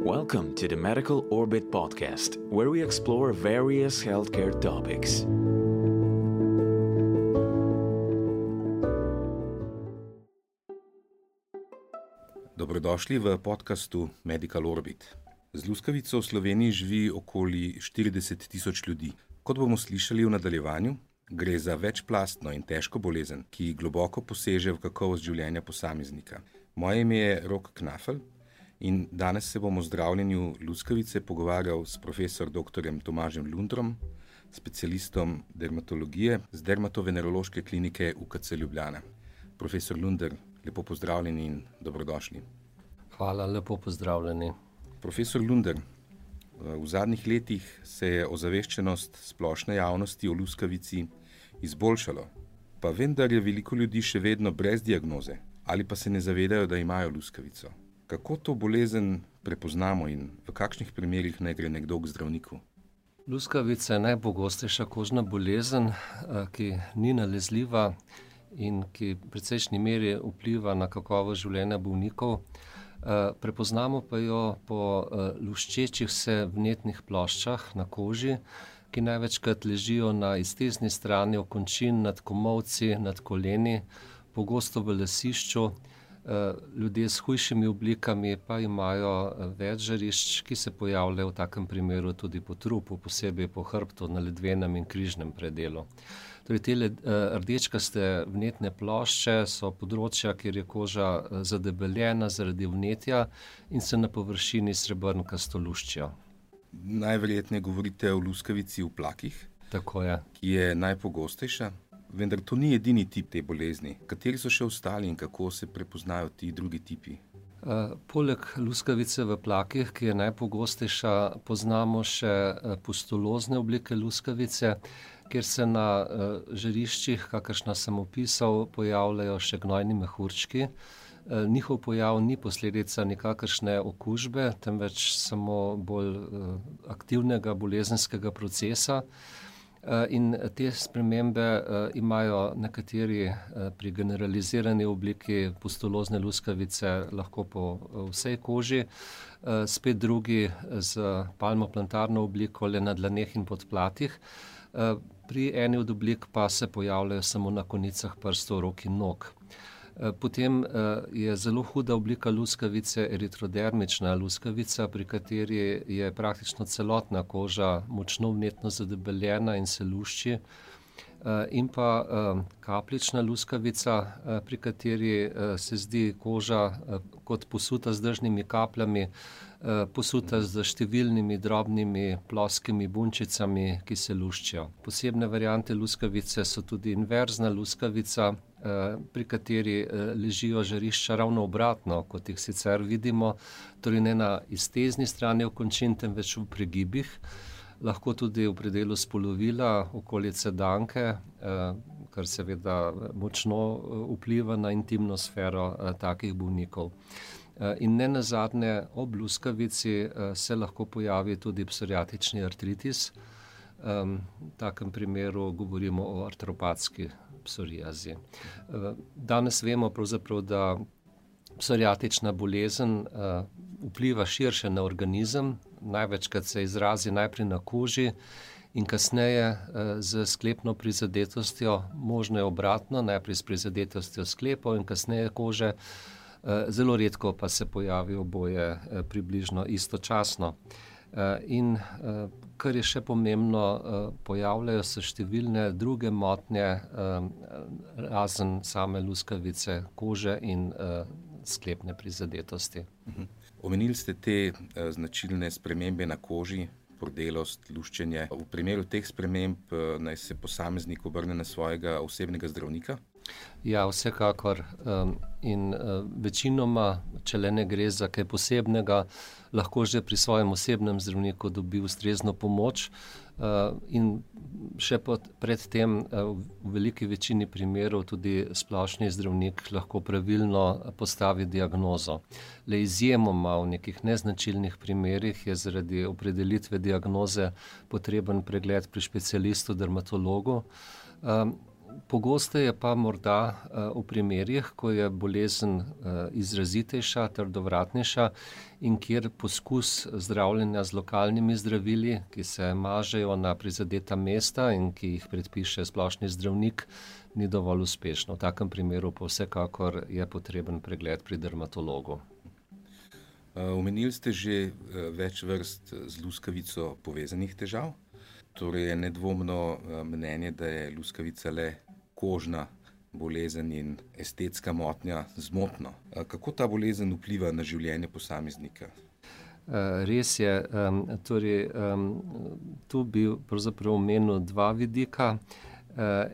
Welcome to the Medical Orbit podcast, where we explore various healthcare topics. Dobrodošli v podkastu Medical Orbit. Z luskavico v Sloveniji živi okoli 40 tisoč ljudi. Kot bomo slišali v nadaljevanju, gre za večplastno in težko bolezen, ki globoko poseže v kakovost življenja posameznika. Moje ime je Rok Knafel in danes se bom o zdravljenju luskavice pogovarjal s profesor dr. Tomažem Lundrom, specialistom dermatologije z Dermatovenerološke klinike UKC Ljubljana. Profesor Lunder, lepo pozdravljeni in dobrodošli. Hvala, lepo pozdravljeni. Profesor Lunder, v zadnjih letih se je ozaveščenost splošne javnosti o luskavici izboljšalo, pa vendar je veliko ljudi še vedno brez diagnoze ali pa se ne zavedajo, da imajo luskavico. Kako to bolezen prepoznamo in v kakšnih primerih naj gre nekdo k zdravniku? Luskavica je najpogostejša kožna bolezen, ki ni nalezljiva in ki v precejšnji meri vpliva na kakovost življenja bolnikov. Prepoznamo pa jo po luščečih se vnetnih ploščah na koži, ki največkrat ležijo na iztezni strani okončin, nad komolci, nad koleni, pogosto v lasišču. Ljudje s hujšimi oblikami pa imajo več žarišč, ki se pojavljajo v takem primeru tudi po trupu, posebej po hrbtu, na ledvenem in križnem predelu. Torej, te rdečkaste vnetne plošče so področja, kjer je koža zadebeljena zaradi vnetja in se na površini srebrnkasto luščijo. Najverjetneje govorite o luskavici v plakih, Tako je. ki je najpogostejša. Vendar to ni edini tip te bolezni. Kateri so še ostali in kako se prepoznajo ti drugi tipi? Poleg luskavice v plakih, ki je najpogostejša, poznamo še pustulozne oblike luskavice, kjer se na žariščih, kakršna sem opisal, pojavljajo še gnojni mehurčki. Njihov pojav ni posledica nikakršne okužbe, temveč samo bolj aktivnega bolezenskega procesa. In te spremembe imajo nekateri pri generalizirani obliki pustulozne luskavice lahko po vsej koži, spet drugi z palmoplantarno obliko le na dlaneh in podplatih. Pri eni od oblik pa se pojavljajo samo na konicah prstov, rok in nog. Potem je zelo huda oblika luskavice eritrodermična luskavica, pri kateri je praktično celotna koža močno vnetno zadebeljena in se lušči. In pa kapljična luskavica, pri kateri se zdi koža kot posuta z dežnimi kapljami, posuta z številnimi drobnimi ploskimi bunčicami, ki se luščijo. Posebne variante luskavice so tudi inverzna luskavica, pri kateri ležijo žarišča ravno obratno, kot jih sicer vidimo, torej ne na iztezni strani okončin, temveč v pregibih, lahko tudi v predelu spolovila, okolice danke, kar seveda močno vpliva na intimno sfero takih bolnikov. In ne nazadnje, ob luskavici se lahko pojavi tudi psoriatični artritis. V takem primeru govorimo o artropatski psoriazi. Danes vemo pravzaprav, da psoriatična bolezen vpliva širše na organizem, največkrat se izrazi najprej na koži in kasneje z sklepno prizadetostjo, možno je obratno, najprej s prizadetostjo sklepov in kasneje kože, zelo redko pa se pojavi oboje približno istočasno. In kar je še pomembno, pojavljajo se številne druge motnje, razen same luskavice kože in sklepne prizadetosti. Omenili ste te značilne spremembe na koži, pordelost, luščenje. V primeru teh sprememb naj se posameznik obrne na svojega osebnega zdravnika? Ja, vsekakor. In večinoma, če le ne gre za kaj posebnega, lahko že pri svojem osebnem zdravniku dobi ustrezno pomoč. In še pred tem v veliki večini primerov tudi splošni zdravnik lahko pravilno postavi diagnozo. Le izjemoma v nekih neznačilnih primerih je zaradi opredelitve diagnoze potreben pregled pri specialistu dermatologu. Pogosteje pa morda v primerih, ko je bolezen izrazitejša, trdovratnejša in kjer poskus zdravljenja z lokalnimi zdravili, ki se mažejo na prizadeta mesta in ki jih predpiše splošni zdravnik, ni dovolj uspešno. V takem primeru pa vsekakor je potreben pregled pri dermatologu. Omenili ste že več vrst z luskavico povezanih težav. Torej je nedvomno mnenje, da je luskavica le kožna bolezen in estetska motnja zmotno. Kako ta bolezen vpliva na življenje posameznika? Res je. Tu bi pravzaprav omenil dva vidika.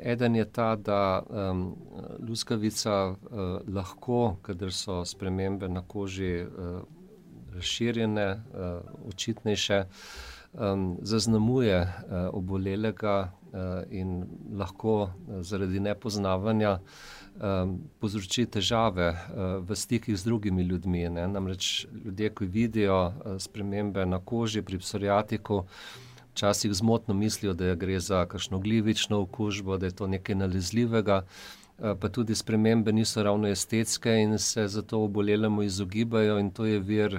Eden je ta, da luskavica lahko, kadar so spremembe na koži razširjene, očitnejše, zaznamuje obolelega in lahko zaradi nepoznavanja povzroči težave v stikih z drugimi ljudmi. Namreč ljudje, ki vidijo spremembe na koži pri psoriatiku, včasih zmotno mislijo, da gre za kakšno glivično okužbo, da je to nekaj nalezljivega, pa tudi spremembe niso ravno estetske in se zato obolelemu izogibajo, in to je vir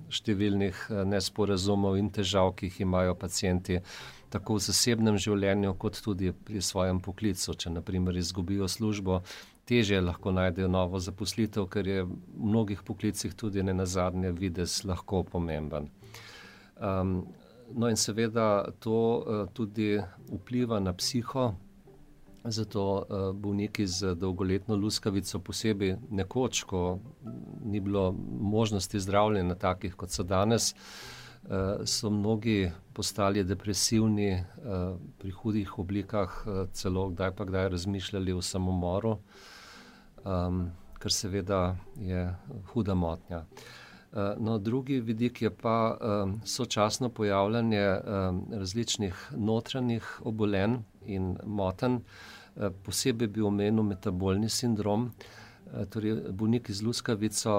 številnih nesporazumov in težav, ki jih imajo pacienti tako v zasebnem življenju kot tudi pri svojem poklicu. Če na primer izgubijo službo, težje lahko najdejo novo zaposlitev, ker je v mnogih poklicih tudi nenazadnje videz lahko pomemben. No in seveda to tudi vpliva na psiho. Zato bolniki z dolgoletno luskavico, posebej nekoč, ko ni bilo možnosti zdravljenja takih, kot so danes, so mnogi postali depresivni, pri hudih oblikah, celo kdaj razmišljali o samomoru, kar seveda je huda motnja. No, drugi vidik je pa sočasno pojavljanje različnih notranjih obolenj in motenj. Posebej bi omenil metabolni sindrom. Torej, bolniki z luskavico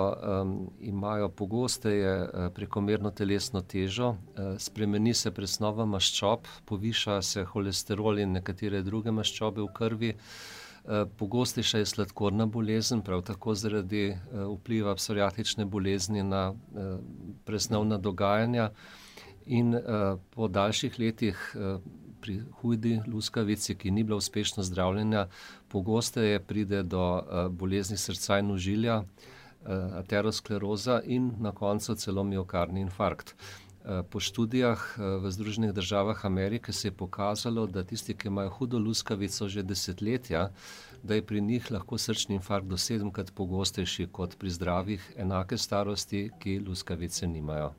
imajo pogosteje prekomerno telesno težo, spremeni se presnova maščob, poviša se holesterol in nekatere druge maščobe v krvi. Pogostejša je sladkorna bolezen, prav tako zaradi vpliva psoriatične bolezni na presnovna dogajanja, in po daljših letih pri hudi luskavici, ki ni bila uspešno zdravljena, pogosteje pride do bolezni srca in ožilja, ateroskleroza in na koncu celo miokardni infarkt. Po študijah v Združenih državah Amerike se je pokazalo, da tisti, ki imajo hudo luskavico že desetletja, da je pri njih lahko srčni infarkt do 7-krat pogostejši kot pri zdravih enake starosti, ki luskavice nimajo.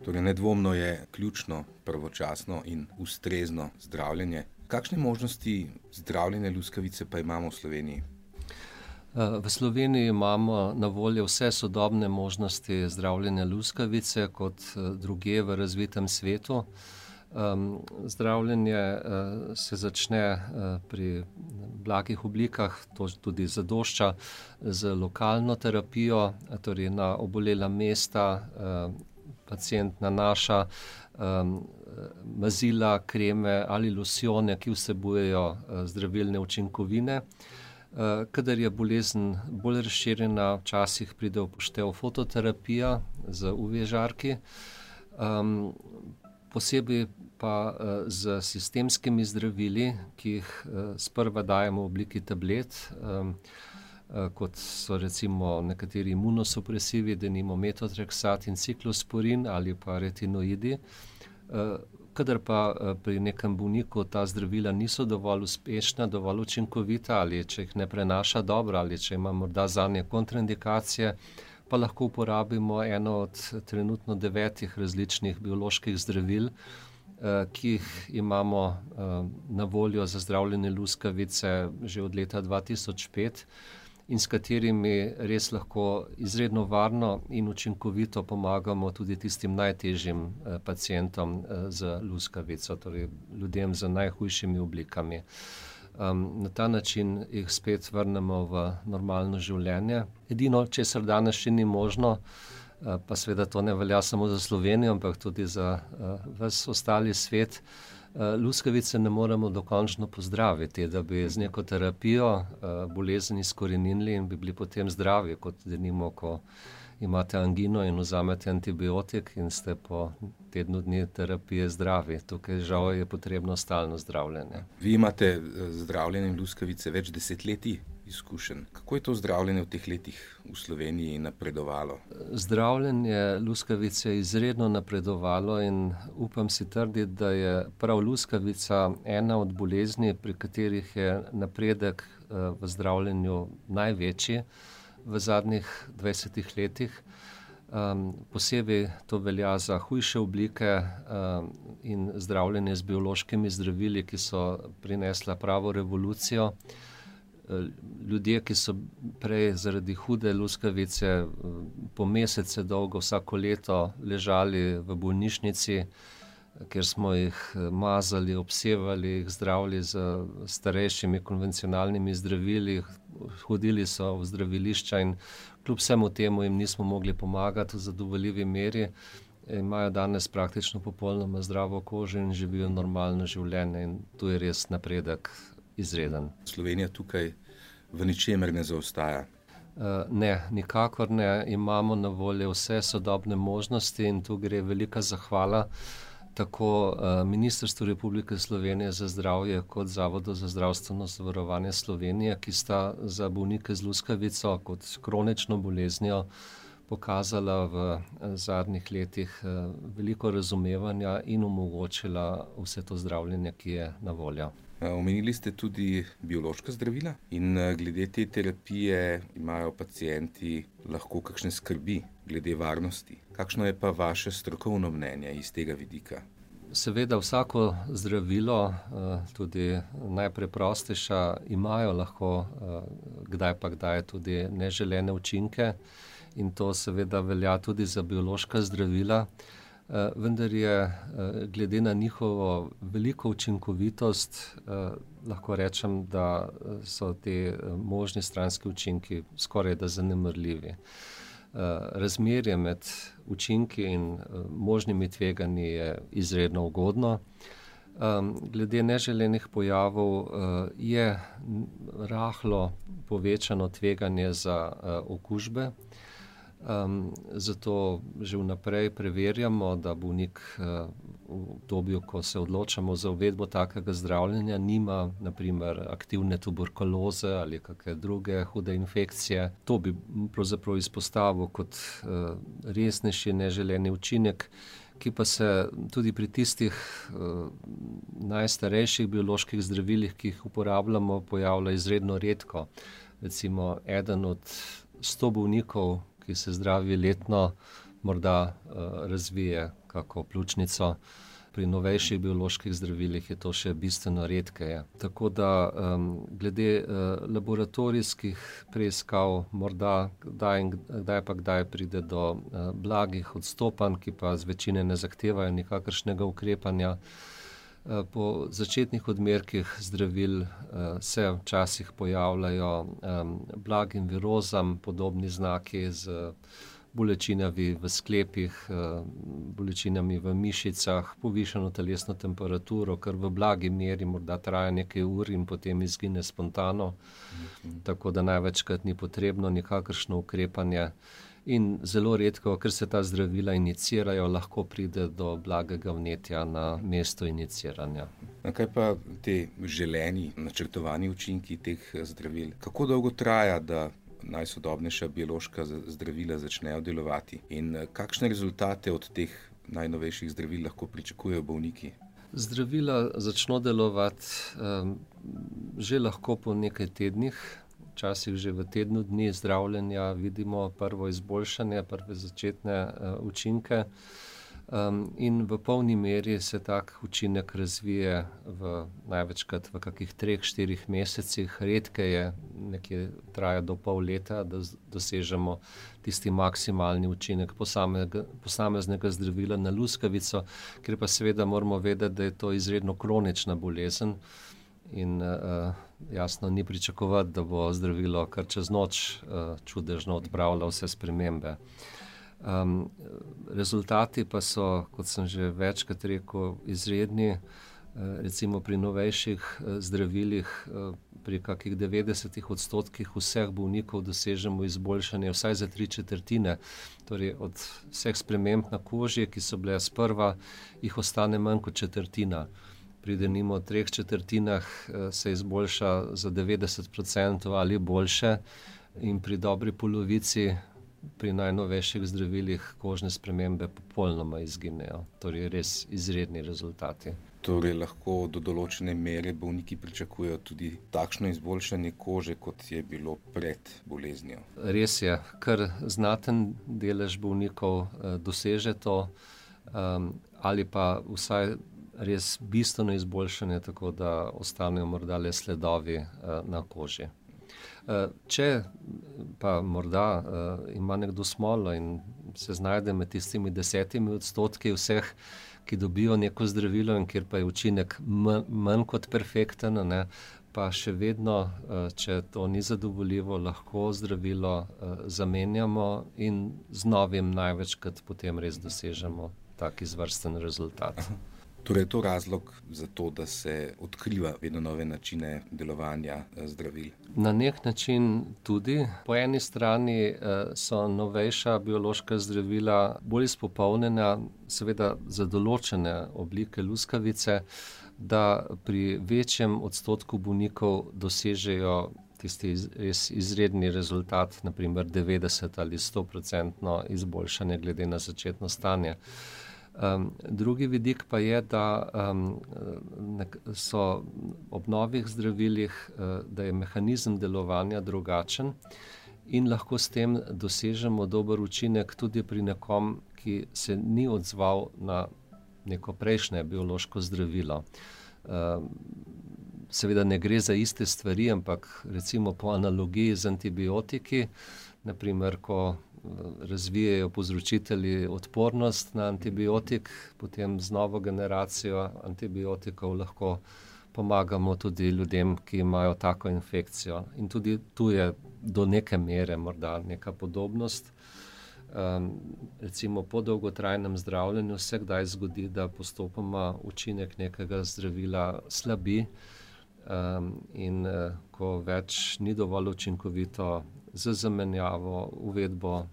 Torej, nedvomno je ključno pravočasno in ustrezno zdravljenje. Kakšne možnosti zdravljenja luskavice pa imamo v Sloveniji? V Sloveniji imamo na voljo vse sodobne možnosti zdravljenja luskavice kot drugje v razvitem svetu. Zdravljenje se začne pri blagih oblikah, to tudi zadošča, z lokalno terapijo, torej na obolela mesta pacient nanaša mazila, kreme ali losjone, ki vsebujejo zdravilne učinkovine. Kadar je bolezen bolj razširjena, včasih pride v poštev fototerapija z UV žarki, posebej pa z sistemskimi zdravili, ki jih sprva dajemo v obliki tablet, kot so recimo nekateri imunosupresivi, denimo metotrexat in ciklosporin ali pa retinoidi. Kadar pa pri nekem bolniku ta zdravila niso dovolj uspešna, dovolj učinkovita, ali če jih ne prenaša dobro, ali če ima morda zanje kontraindikacije, pa lahko uporabimo eno od trenutno 9 različnih bioloških zdravil, ki jih imamo na voljo za zdravljenje luskavice že od leta 2005 in s katerimi res lahko izredno varno in učinkovito pomagamo tudi tistim najtežjim pacientom z luskavico, torej ljudem z najhujšimi oblikami. Na ta način jih spet vrnemo v normalno življenje. Edino, česar danes še ni možno, pa seveda to ne velja samo za Slovenijo, ampak tudi za ves ostali svet. Luskavice ne moremo dokončno pozdraviti, da bi z neko terapijo bolezen izkoreninili in bi bili potem zdravi, kot denimo, ko imate angino in vzamete antibiotik in ste po tednu dni terapije zdravi. Tukaj žal je potrebno stalno zdravljenje. Vi imate zdravljenjem luskavice več desetletij izkušenj. Kako je to zdravljenje v teh letih v Sloveniji napredovalo? Zdravljenje luskavice je izredno napredovalo in upam si trditi, da je prav luskavica ena od bolezni, pri katerih je napredek v zdravljenju največji v zadnjih 20 letih. Posebej to velja za hujše oblike in zdravljenje z biološkimi zdravili, ki so prinesla pravo revolucijo. Ljudje, ki so prej zaradi hude luskavice po mesece dolgo vsako leto ležali v bolnišnici, kjer smo jih mazali, obsevali, jih zdravili z starejšimi konvencionalnimi zdravili, hodili so v zdravilišča in kljub vsemu temu jim nismo mogli pomagati v zadovoljivi meri, imajo danes praktično popolnoma zdravo kožo in živijo normalno življenje in tu je res napredek izreden. Slovenija tukaj v ničemer ne zaostaja. Ne, nikakor ne. Imamo na voljo vse sodobne možnosti in tu gre velika zahvala tako Ministrstvu Republike Slovenije za zdravje kot Zavodu za zdravstveno zavarovanje Slovenije, ki sta za bolnike z luskavico kot kronično boleznijo pokazala v zadnjih letih veliko razumevanja in omogočila vse to zdravljenje, ki je na voljo. Omenili ste tudi biološka zdravila in glede te terapije imajo pacienti lahko kakšne skrbi glede varnosti. Kakšno je pa vaše strokovno mnenje iz tega vidika? Seveda vsako zdravilo, tudi najpreprostejša, imajo lahko kdaj pa kdaj tudi neželene učinke in to seveda velja tudi za biološka zdravila. Vendar je glede na njihovo veliko učinkovitost, lahko rečem, da so te možni stranski učinki skoraj da zanemarljivi. Razmerje med učinki in možnimi tveganji je izredno ugodno. Glede neželenih pojavov je rahlo povečano tveganje za okužbe. Zato že vnaprej preverjamo, da bolnik v obdobju, ko se odločamo za uvedbo takega zdravljenja, nima na primer aktivne tuberkuloze ali kakšne druge hude infekcije. To bi pravzaprav izpostavil kot resnejši neželeni učinek, ki pa se tudi pri tistih najstarejših bioloških zdravilih, ki jih uporabljamo, pojavlja izredno redko. Recimo eden od 100 bolnikov, ki se zdravi letno, morda razvije kako pljučnico. Pri novejših bioloških zdravilih je to še bistveno redkeje. Tako da glede laboratorijskih preiskav morda kdaj pride do blagih odstopanj, ki pa zvečine ne zahtevajo nikakršnega ukrepanja. Po začetnih odmerkih zdravil se včasih pojavljajo blagim virozam podobni znaki z bolečinami v sklepih, bolečinami v mišicah, povišano telesno temperaturo, kar v blagi meri morda traja nekaj ur in potem izgine spontano. Tako da največkrat ni potrebno nikakršno ukrepanje. In zelo redko, ker se ta zdravila inicirajo, lahko pride do blagega vnetja na mesto iniciranja. Kaj pa te želeni, načrtovani učinki teh zdravil? Kako dolgo traja, da najsodobnejša biološka zdravila začnejo delovati? In kakšne rezultate od teh najnovejših zdravil lahko pričakujejo bolniki? Zdravila začno delovati že lahko po nekaj tednih. Včasih že v tednu dni zdravljenja vidimo prvo izboljšanje, prve začetne učinke in v polni meri se tak učinek razvije največkrat v kakih 3-4 mesecih. Redkeje nekje traja do pol leta, da dosežemo tisti maksimalni učinek posameznega zdravila na luskavico, ker pa seveda moramo vedeti, da je to izredno kronična bolezen. In jasno ni pričakovati, da bo zdravilo kar čez noč čudežno odpravilo vse spremembe. Rezultati pa so, kot sem že večkrat rekel, izredni. Recimo pri novejših zdravilih pri kakih 90% vseh bolnikov dosežemo izboljšanje vsaj za 3/4. Torej od vseh sprememb na koži, ki so bile sprva, jih ostane manj kot četrtina. Pri denimo 3/4 se izboljša za 90% ali boljše in pri dobri polovici pri najnovejših zdravilih kožne spremembe popolnoma izginejo. Torej res izredni rezultati. Torej lahko do določene mere bolniki pričakujejo tudi takšno izboljšanje kože, kot je bilo pred boleznijo. Res je, kar znaten delež bolnikov doseže to, ali pa vsaj res bistveno izboljšanje, tako da ostanejo morda le sledovi na koži. Če pa morda ima nekdo smolo in se znajde med tistimi 10% vseh, ki dobijo neko zdravilo in kjer pa je učinek manj kot perfekten, pa še vedno, če to ni zadovoljivo, lahko zdravilo zamenjamo in z novim največkrat potem res dosežemo tak izvrsten rezultat. Torej je to razlog za to, da se odkriva vedno nove načine delovanja zdravil? Na nek način tudi. Po eni strani so novejša biološka zdravila bolj izpopolnjena, seveda za določene oblike luskavice, da pri večjem odstotku bolnikov dosežejo tisti res izredni rezultat, naprimer 90 ali 100% izboljšanje glede na začetno stanje. Drugi vidik pa je, da so ob novih zdravilih, da je mehanizem delovanja drugačen in lahko s tem dosežemo dober učinek tudi pri nekom, ki se ni odzval na neko prejšnje biološko zdravilo. Seveda ne gre za iste stvari, ampak recimo po analogiji z antibiotiki, naprimer, ko razvijajo povzročitelji odpornost na antibiotik, potem z novo generacijo antibiotikov lahko pomagamo tudi ljudem, ki imajo tako infekcijo. In tudi tu je do neke mere morda neka podobnost. Recimo po dolgotrajnem zdravljenju se kdaj zgodi, da postopoma učinek nekega zdravila slabi in ko več ni dovolj učinkovito, z zamenjavo, uvedbo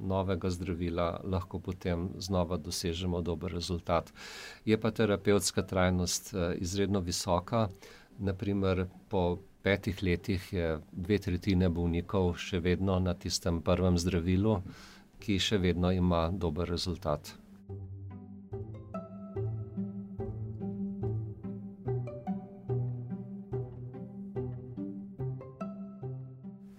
novega zdravila lahko potem znova dosežemo dober rezultat. Je pa terapevtska trajnost izredno visoka. Naprimer, po 5 letih je 2/3 bolnikov še vedno na tistem prvem zdravilu, ki še vedno ima dober rezultat.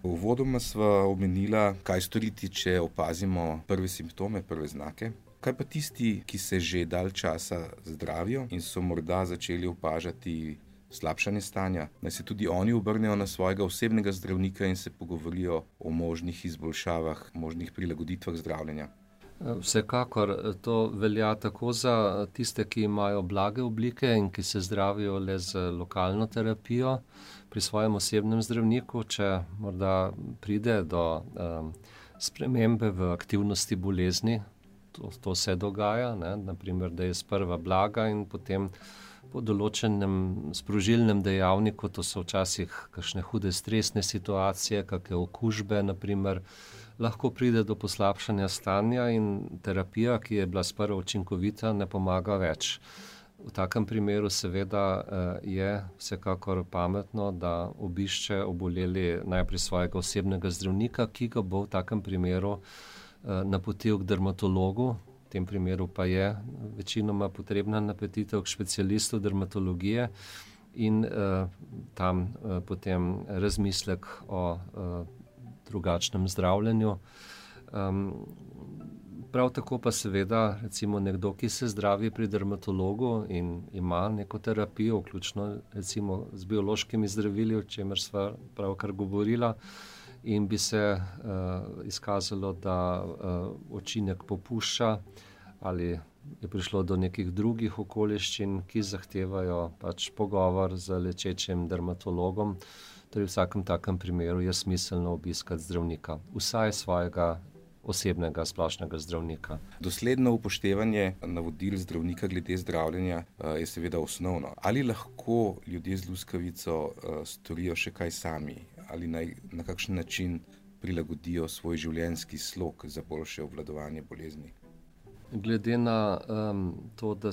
Uvodoma sva omenila, kaj storiti, če opazimo prve simptome, prve znake. Kaj pa tisti, ki se že dalj časa zdravijo in so morda začeli opažati slabšanje stanja, naj se tudi oni obrnejo na svojega osebnega zdravnika in se pogovorijo o možnih izboljšavah, možnih prilagoditvah zdravljenja? Vsekakor to velja tako za tiste, ki imajo blage oblike in ki se zdravijo le z lokalno terapijo pri svojem osebnem zdravniku, če morda pride do spremembe v aktivnosti bolezni. To se dogaja, naprimer, da je sprva blaga in potem po določenem sprožilnem dejavniku, to so včasih kakšne hude stresne situacije, kakšne okužbe, naprimer, lahko pride do poslabšanja stanja in terapija, ki je bila sprva učinkovita, ne pomaga več. V takem primeru seveda je vsekakor pametno, da obišče oboleli najprej svojega osebnega zdravnika, ki ga bo v takem primeru napotil k dermatologu. V tem primeru pa je večinoma potrebna napotitev k specialistu dermatologije in tam potem razmislek o drugačnem zdravljenju. Prav tako pa seveda recimo nekdo, ki se zdravi pri dermatologu in ima neko terapijo, vključno recimo z biološkimi zdravili, o čemer sva pravkar govorila, in bi se izkazalo, da učinek popušča ali je prišlo do nekih drugih okoliščin, ki zahtevajo pač pogovor z lečečim dermatologom. Torej v vsakem takem primeru je smiselno obiskati zdravnika, vsaj svojega osebnega splošnega zdravnika. Dosledno upoštevanje navodil zdravnika glede zdravljenja je seveda osnovno. Ali lahko ljudje z luskavico storijo še kaj sami? Ali na kakšen način prilagodijo svoj življenjski slog za boljše obvladovanje bolezni? Glede na to, da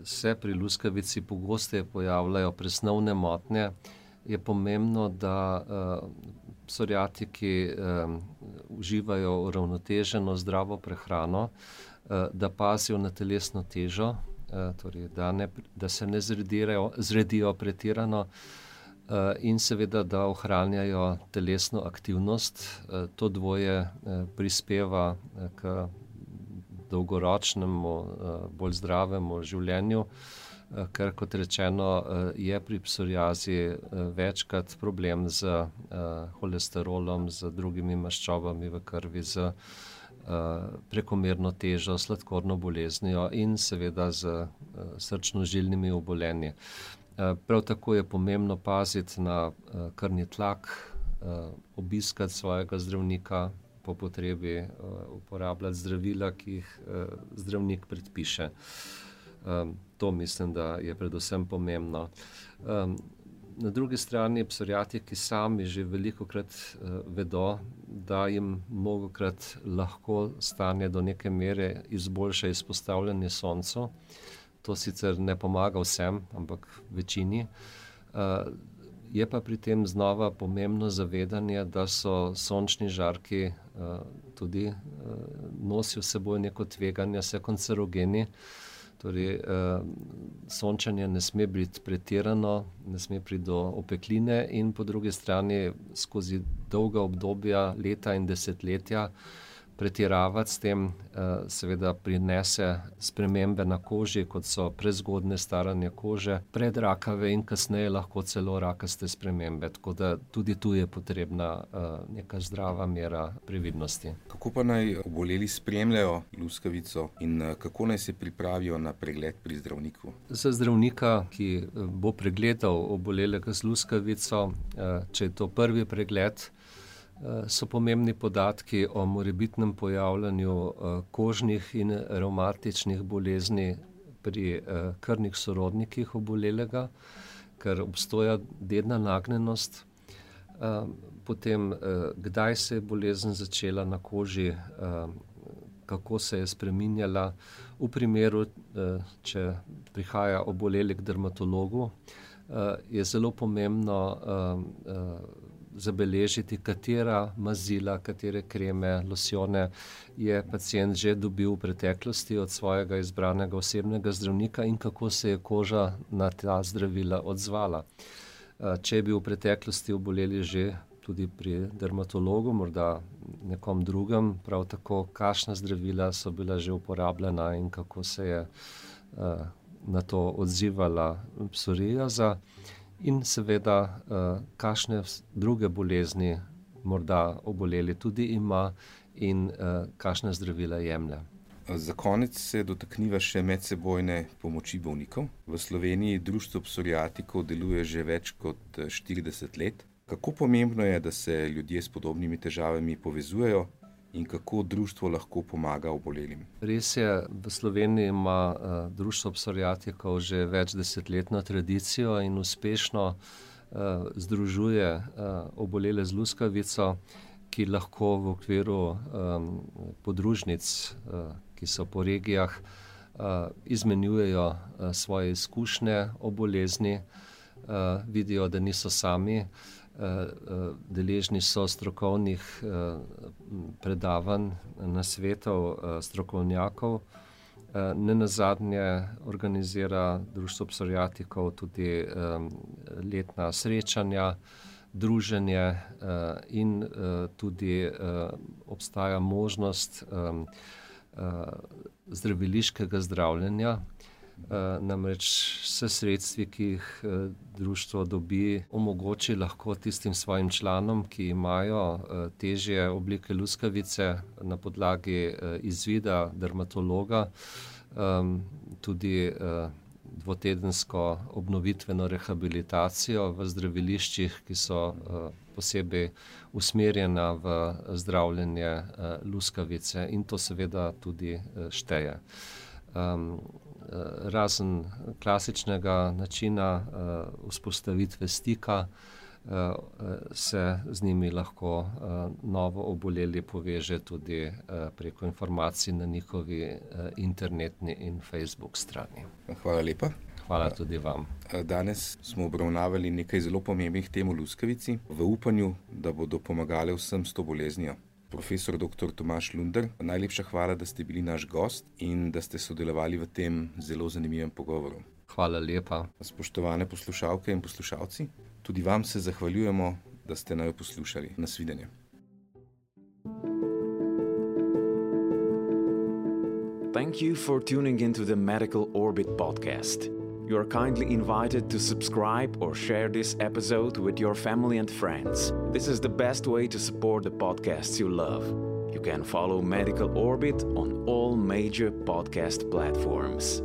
se pri luskavici pogosteje pojavljajo presnovne motnje, je pomembno, da psoriatiki uživajo uravnoteženo zdravo prehrano, da pazijo na telesno težo, torej da se ne zredijo pretirano in seveda, da ohranjajo telesno aktivnost. To dvoje prispeva k dolgoročnemu, bolj zdravemu življenju, ker, kot rečeno, je pri psoriazi večkrat problem z holesterolom, z drugimi maščobami v krvi, z prekomerno težo, sladkorno boleznijo in seveda z srčno-žilnimi obolenji. Prav tako je pomembno paziti na krvni tlak, obiskati svojega zdravnika, po potrebi uporabljati zdravila, ki jih zdravnik predpiše. To mislim, da je predvsem pomembno. Na drugi strani psoriatiki sami že velikokrat vedo, da jim mnogokrat lahko stanje do neke mere izboljša izpostavljanje soncu. To sicer ne pomaga vsem, ampak večini. Je pa pri tem znova pomembno zavedanje, da so sončni žarki tudi nosijo s seboj neko tveganje, so kancerogeni. Torej, sončenje ne sme biti pretirano, ne sme priti do opekline in po drugi strani skozi dolga obdobja, leta in desetletja pretiravati s tem seveda prinese spremembe na koži, kot so prezgodne staranje kože, predrakave in kasneje lahko celo rakaste spremembe. Tako da tudi tu je potrebna neka zdrava mera previdnosti. Kako pa naj oboleli spremljajo luskavico in kako naj se pripravijo na pregled pri zdravniku? Za zdravnika, ki bo pregledal obolelega z luskavico, če je to prvi pregled, so pomembni podatki o morebitnem pojavljanju kožnih in revmatičnih bolezni pri krvnih sorodnikih obolelega, ker obstoja dedna nagnjenost. Potem, kdaj se je bolezen začela na koži, kako se je spreminjala. V primeru, če prihaja oboleli k dermatologu, je zelo pomembno zabeležiti, katera mazila, katere kreme, losjone je pacient že dobil v preteklosti od svojega izbranega osebnega zdravnika in kako se je koža na ta zdravila odzvala. Če je bil v preteklosti oboleli že tudi pri dermatologu, morda nekom drugem, prav tako, kakšna zdravila so bila že uporabljena in kako se je na to odzivala psoriaza. In seveda, kakšne druge bolezni morda oboleli tudi ima in kakšna zdravila jemlje. Za konec se dotakniva še medsebojne pomoči bolnikov. V Sloveniji Društvo psoriatikov deluje že več kot 40 let. Kako pomembno je, da se ljudje s podobnimi težavami povezujejo in kako društvo lahko pomaga obolelim? Res je, v Sloveniji ima Društvo psoriatikov že več desetletno tradicijo in uspešno združuje obolele z luskavico, ki lahko v okviru podružnic, ki so po regijah, izmenjujejo svoje izkušnje o bolezni, vidijo, da niso sami. Deležni so strokovnih predavanj, nasvetov strokovnjakov. Nenazadnje organizira Društvo psoriatikov tudi letna srečanja, druženje in tudi obstaja možnost zdraviliškega zdravljenja. Namreč s sredstvi, ki jih društvo dobi, omogoči lahko tistim svojim članom, ki imajo težje oblike luskavice, na podlagi izvida dermatologa tudi dvotedensko obnovitveno rehabilitacijo v zdraviliščih, ki so posebej usmerjena v zdravljenje luskavice, in to seveda tudi šteje. Razen klasičnega načina vzpostavitve stika, se z njimi lahko novo oboleli poveže tudi preko informacij na njihovi internetni in Facebook strani. Hvala lepa. Hvala tudi vam. Danes smo obravnavali nekaj zelo pomembnih tem o luskavici, v upanju, da bodo pomagale vsem s to boleznijo. Profesor dr. Tomaž Lunder, najlepša hvala, da ste bili naš gost in da ste sodelovali v tem zelo zanimivem pogovoru. Hvala lepa. Spoštovane poslušalke in poslušalci, tudi vam se zahvaljujemo, da ste naju poslušali. Nasvidenje. Thank you for tuning into the Medical Orbit podcast. You are kindly invited to subscribe or share this episode with your family and friends. This is the best way to support the podcasts you love. You can follow Medical Orbit on all major podcast platforms.